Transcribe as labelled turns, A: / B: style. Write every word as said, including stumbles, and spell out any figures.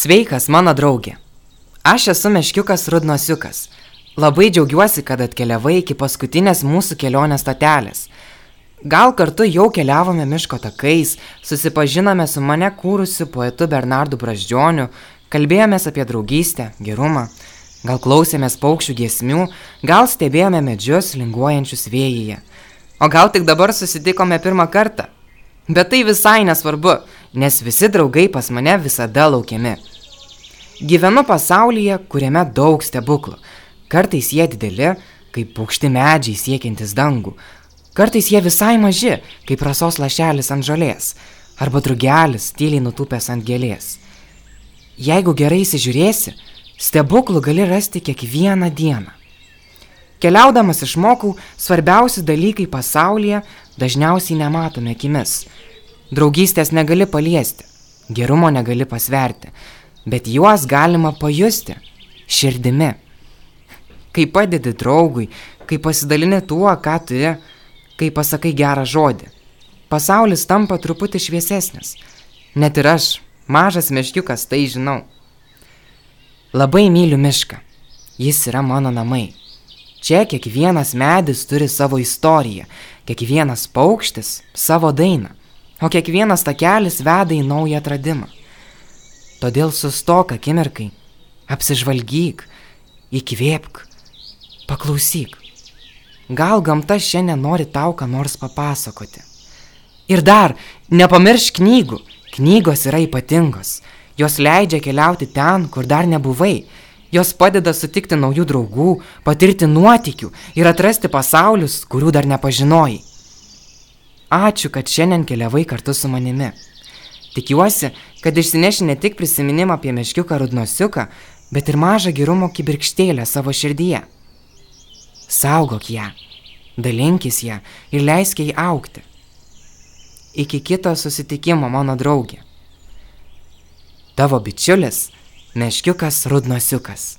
A: Sveikas, mano draugė. Aš esu meškiukas Rudnosiukas. Labai džiaugiuosi, kad atkeliavai iki paskutinės mūsų kelionės stotelės. Gal kartu jau keliavome miško takais, susipažinome su mane kūrusiu poetu Bernardu Brazdžioniu, kalbėjomės apie draugystę, gerumą, gal klausėmės paukščių giesmių, gal stebėjome medžius linguojančius vėjyje. O gal tik dabar susitikome pirmą kartą? Bet tai visai nesvarbu, nes visi draugai pas mane visada laukiami. Gyvenu pasaulyje, kuriame daug stebuklų. Kartais jie dideli, kaip aukšti medžiai siekiantis dangų. Kartais jie visai maži, kaip rasos lašelis ant žolės, arba drugelis tyliai nutūpęs ant gėlės. Jeigu gerai įsižiūrėsi, stebuklų gali rasti kiekvieną dieną. Keliaudamas išmokau, svarbiausi dalykai pasaulyje dažniausiai nematome akimis. Draugystės negali paliesti, gerumo negali pasverti, bet juos galima pajusti širdimi. Kai padedi draugui, kai pasidalini tuo, ką turi, kai pasakai gerą žodį, pasaulis tampa truputį šviesesnis. Net ir aš, mažas meškiukas, tai žinau. Labai myliu mišką. Jis yra mano namai. Čia kiekvienas medis turi savo istoriją, kiekvienas paukštis savo dainą, o kiekvienas takelis veda į naują atradimą. Todėl sustok akimirkai, apsižvalgyk, įkvėpk, paklausyk. Gal gamta šiandien nori tau ką nors papasakoti. Ir dar, nepamiršk knygų. Knygos yra ypatingos. Jos leidžia keliauti ten, kur dar nebuvai. Jos padeda sutikti naujų draugų, patirti nuotykių ir atrasti pasaulius, kurių dar nepažinojai. Ačiū, kad šiandien keliavai kartu su manimi. Tikiuosi, kad išsineši ne tik prisiminimą apie meškiuką Rudnosiuką, bet ir mažą gerumo kibirkštėlę savo širdyje. Saugok ją, dalinkis ją ir leisk jai augti. Iki kito susitikimo, mano draugė. Tavo bičiulis, meškiukas Rudnosiukas.